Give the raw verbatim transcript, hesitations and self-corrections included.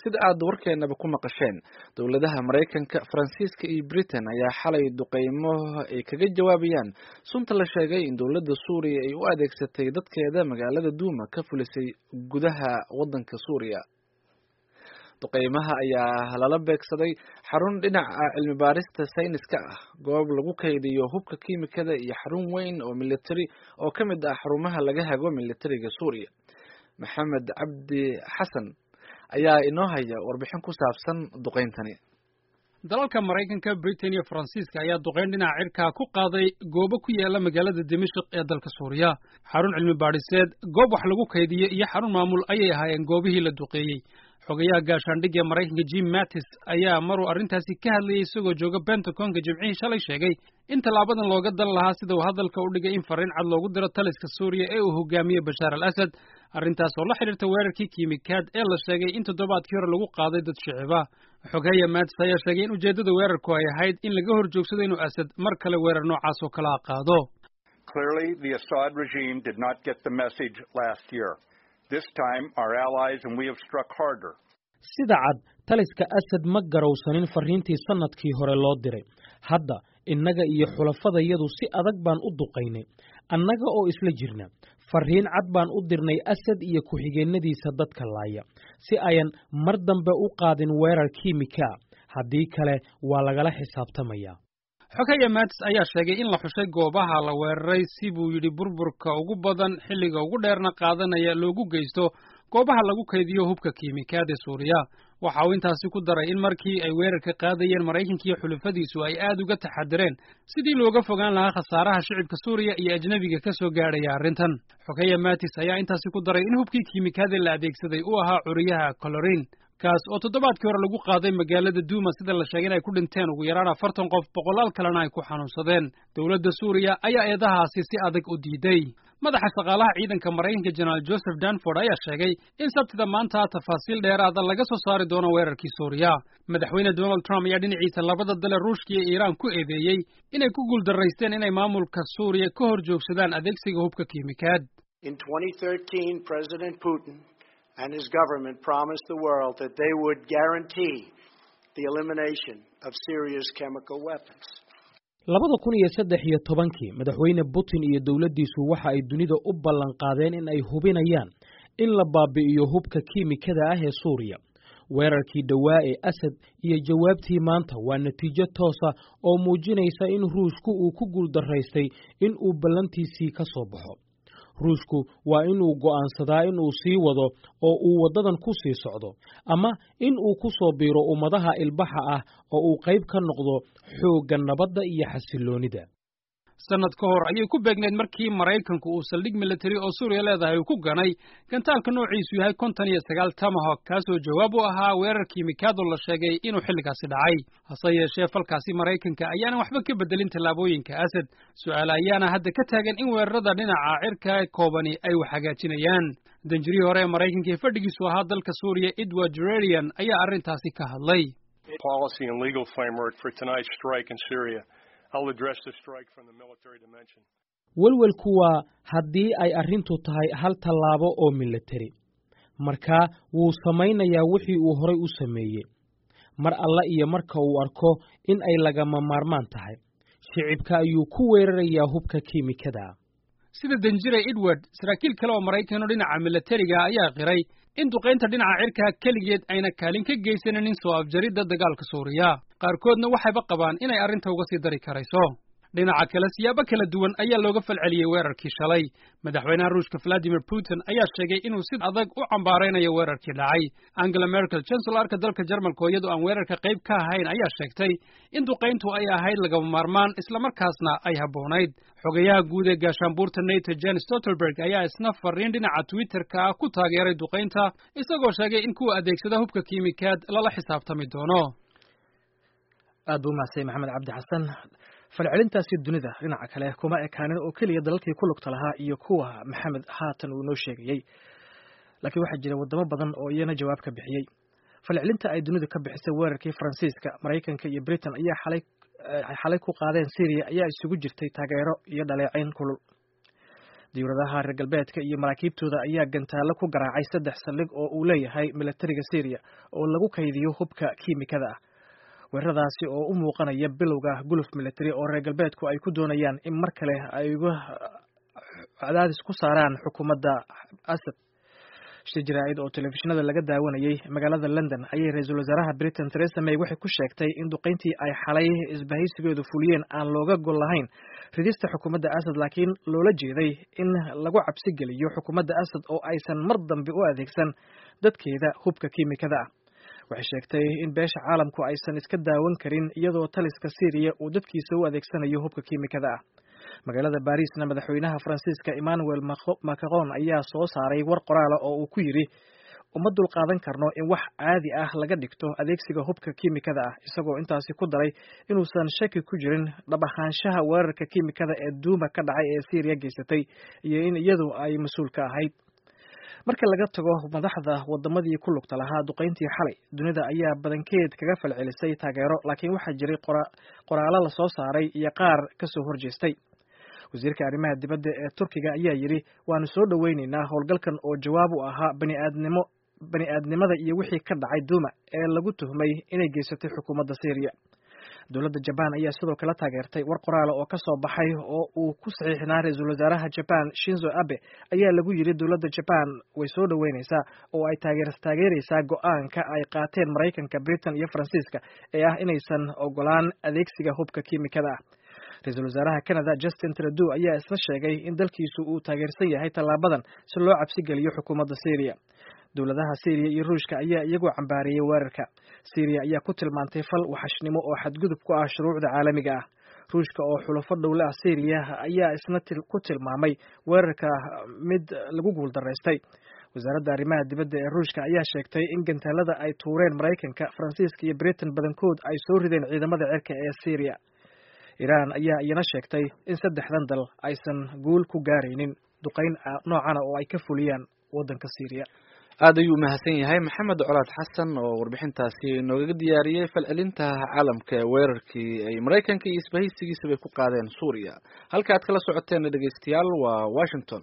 Sida aad warkeenaba ku maqasheen, dowladaha Maraykanka, Faransiiska iyo Britain ayaa xalay duqeymo ay kaga jawaabayaan sunta la sheegay in dowladda Suuriya ay u adeegsatay dadkeeda magaalada Duuma ka fulisay gudaha waddanka Suuriya. Duqeymaha ayaa lala beegsaday xarun dhinaca cilmi baarista sayniska ah, goob lagu kaydiyo hubka kiimikada iyo xarun weyn oo militari oo ka mid ah xarumaha laga hago militariga Suuriya. Maxamed Cabdi Xasan ayaa inoo haya warbixin ku saabsan duqeyntani. Dalalka Maraykanka, Britain iyo Faransiiska ayaa duqeyn dhinaca cirkaa ku qaaday goobo ku yaala magaalada Dimashik ee dalka Suuriya. Xarun cilmi baadhiseed, goob wax lagu kaydiye iyo xarun maamul ayay ahaayeen goobihii la duqeeyey. Xogayaha gaashaandhigga ee Maraykanka, Jim Mattis, ayaa maruu arrintaasi ka hadlayay isagoo jooga Pentagonka Jimcihii shalay sheegay in tallaabadan looga dan lahaa, sida uu hadalka u dhigay, in farriin cad loogu diro taliska Suuriya ee uu hogaamiyey Bashaar al Asad, arrintaas oo la xidhiirta weerarkii kiimikaad ee la sheegay in toddobaadkii hore lagu qaaday dad shiciba. Xoghaye Mattis ayaa sheegay in ujeeddada weerarku ay ahayd in laga hor joogsado inuu Asad mar kale weerar noocaas oo kala qaado. Clearly, the Assad regime did not get the message last year. This time, our allies and we have struck harder. Sida cad, taliska Asad ma garowsanin farriintii sannadkii hore loo diray. Hadda innaga iyo xulafadayadu si adag baan u duqaynay, annaga oo isla jirna. Farriin cad baan u dirnay Asad iyo ku-xigeennadiisa dadka laaya, si ayan mar dambe u qaadin weerar kiimika ah. Haddii kale, waa lagala xisaabtamayaa. Xoghaye Mattis ayaa sheegay in la xushay goobaha la weeraray si, buu yidhi, burburka ugu badan, xilliga ugu dheerna qaadanaya loogu geysto goobaha lagu kaydiyo hubka kiimikaad ee Suuriya. Waxa uu intaasi ku daray in markii ay weerarka qaadayeen, Maraykanka iyo xulufadiisu ay aad uga taxadireen sidii looga fogaan lahaa khasaaraha shicibka Suuriya iyo ajnebiga ka soo gaadhaya arrintan. Xoghaye Mattis ayaa intaasi ku daray in hubkii kiimikaada la adeegsaday uu ahaa curiyaha chlorine, kaas oo toddobaadkii hore lagu qaaday magaalada Duuma, sida la sheegay in ay ku dhinteen ugu yaraan afartan qof, boqolaal kalena ay ku xanuunsadeen. Dowladda Suuriya ayaa eedahaasi si adag u diiday. Madaxa shaqaalaha ciidanka Maraykanka, Jenaraal Joseph Dunford, ayaa sheegay in Sabtida maanta tafaasiil dheeraada laga soo saari doono weerarkii Suuriya. Madaxweyne Donald Trump ayaa dhinaciisa labada dale, Ruushka iyo Iiraan, ku eedeeyey inay ku guuldarraysteen inay maamulka Suuriya ka hor joogsadaan adeegsiga hubka kiimikaad. In twenty thirteen, President Putin and his government promised the world that they would guarantee the elimination of Syria's chemical weapons. Labada kun iyo saddex iyo tobankii, Madaxweyne Putin iyo dowladdiisu waxa ay dunida u ballan qaadeen in ay hubinayaan in la baabi'iyo hubka kiimikada ah ee Suuriya. Weerarkii dhowaa ee Asad iyo jawaabtii maanta waa natiijo toosa oo muujinaysa in Ruushku uu ku guuldarraystay in uu ballantiisii ka soo baxo. Ruushku waa inuu go'aansadaa inuu sii wado oo uu waddadan ku sii socdo, ama in uu ku soo biiro ummadaha ilbaxa ah oo uu qayb ka noqdo xoogga nabadda iyo xasilloonida. Sanad ka hor ayay ku beegneyd markii Maraykanku uu saldhig militari oo Suuriya leedahay uu ku ganay gantaalka noociisu yahay konton iyo sagaal Tomahawk, kaasoo jawaab u ahaa weerar kiimikaado la sheegay inuu xilligaasi dhacay. Hase yeeshee, falkaasi Maraykanka ayaanan waxba ka bedelin tallaabooyinka Asad. Su'aal ayaana hadda ka taagan in weerarada dhinaca cirka koobani ay wax hagaajinayaan. Danjirihii hore ee Maraykanka ee fadhigiisu ahaa dalka Suuriya, Edward Jererian, ayaa arrintaasi ka hadlay. Policy and legal framework for tonight's strike in Syria. I'll address the strike from the military dimension. Welwelku waa haddii ay arrintu tahay hal tallaabo oo militari, markaa wuu samaynayaa wixii uu horay u sameeyey mar alla iyo marka uu arko in ay lagama maarmaan tahay. Shicibka ayuu ku weerarayaa hubka kiimikada. Sida danjire Edward, saraakiil kale oo Maraykan oo dhinaca milatariga ayaa qiray in duqaynta dhinaca cirka keligeed ayna kaalin ka geysanin soo afjaridda dagaalka Suuriya. Qaarkoodna waxayba qabaan inay arrinta uga sii dari karayso. Dhinaca kale, siyaabo kala duwan ayaa looga falceliyey weerarkii shalay. Madaxweynaha Ruushka, Vladimir Putin, ayaa sheegay inuu si adag u cambaaraynayo weerarkii dhacay. Angela Merkel, chancellarka dalka Jarmalka, oo iyadoo aan weerarka qayb ka ahayn, ayaa sheegtay in duqayntu ay ahayd lagama maarmaan, islamarkaasna ay habboonayd. Xogayaha guud ee gaashaanbuurta NATO, Jens Stoltenberg, ayaa isna fariin dhinaca Twitterka ah ku taageeray duqaynta, isagoo sheegay in kuwa adeegsada hubka kiimikaad lala xisaabtami doono. Aad buu umahadsay Maxamed Cabdi Xasan. Falcelintaasi dunida dhinaca kale kuma ekaanin oo keliya dalalkii ku lugta lahaa iyo kuwa Maxamed haatan uu inoo sheegayey, laakiin waxaa jira waddamo badan oo iyana jawaab ka bixiyey. Falcelinta ay dunidu ka bixisay weerarkii Faransiiska, Maraykanka iyo Britain ayaa xalay xalay ku qaadeen Syriya ayaa isugu jirtay taageero iyo dhaleecayn kulul. Diyuuradaha reer galbeedka iyo maraakiibtooda ayaa gantaalo ku garaacay saddex saldhig oo uu leeyahay milatariga Syriya oo lagu kaydiyo hubka kiimikada ah. Weeraradaasi oo u muuqanaya bilowga guluf militari oo reer galbeedku ay ku doonayaan in mar kale ay uga cadaadis ku saaraan xukuumadda Asad. Shir jaraa'id oo telefishinada laga daawanayay magaalada London ayay ra-iisul wasaaraha Britain Theresa May waxay ku sheegtay in duqeyntii ay xalay isbahaysigeedu fuliyeen aan looga gol lahayn ridista xukuumadda Asad, laakiin loola jeeday in lagu cabsi geliyo xukuumadda Asad oo aysan mar dambe u adeegsan dadkeeda hubka kiimikada ah. Waxay sheegtay in beesha caalamku aysan iska daawan karin iyadoo taliska Syriya uu dadkiisa u adeegsanayo hubka kiimikada ah. Magaalada Baariisna madaxweynaha Faransiiska Emmanuel Macron ayaa soo saaray war qoraala oo uu ku yidhi uma dulqaadan karno in wax caadi ah laga dhigto adeegsiga hubka kiimikada ah, isagoo intaasi ku daray inuusan shaki ku jirin dhab ahaanshaha weerarka kiimikada ee Duuma ka dhacay ee Syriya geysatay iyo in iyadu ay mas-uul ka ahayd. Marka laga tago madaxda wadamadii ku lugta lahaa duqeyntii xalay, dunida ayaa badankeed kaga falcelisay taageero, laakiin waxaa jiray qoraallo la soo saaray iyo qaar ka soo horjeestay. Wasiirka arrimaha dibadda ee Turkiga ayaa yidhi waanu soo dhoweyneynaa howlgalkan oo jawaab u ahaa baniaadnimo bani-aadnimada iyo wixii ka dhacay Duuma ee lagu tuhmay inay geysatay xukuumadda Syriya. Dowladda Jabaan ayaa sidoo kale taageertay. War qoraala oo ka soo baxay oo uu ku saxiixnaa ra-iisul wasaaraha Jaban Shinzo Abe ayaa lagu yidhi dowladda Jaban way soo dhoweyneysaa oo ay taageereysaa go-aanka ay qaateen Maraykanka, Britain iyo Faransiiska ee ah inaysan ogolaan adeegsiga hubka kiimikada ah. Ra-iisul wasaaraha Canada Justin Trudeau ayaa isna sheegay in dalkiisu uu taageersan yahay tallaabadan si loo cabsi geliyo xukuumadda Syriya. Dowladaha Syriya iyo Ruushka ayaa iyagu cambaariyey weerarka. Syriya ayaa ku tilmaantay fal waxashnimo oo xadgudub ku ah shuruucda caalamiga ah. Ruushka oo xulafo dhowle ah Syriya ayaa isna ku tilmaamay weerarka mid lagu guuldaraystay. Wasaaradda arrimaha dibadda ee Ruushka ayaa sheegtay in gantaalada ay tuureen Maraykanka, Faransiiska iyo Britain badankood ay soo rideen ciidamada cirka ee Syriya. Iiraan ayaa iyana sheegtay in saddexdan dal aysan guul ku gaaraynin duqeyn noocana oo ay ka fuliyaan waddanka Syriya. Aad ayuu mahadsan yahay Maxamed Colaad Xasan oo warbixintaasi noogaga diyaariyey falcelinta caalamka ee weerarkii ay Maraykanka iyo isbahaysigiisaba ku qaadeen Suuriya. Halka aad kala socoteen dhegeystayaal waa Washington.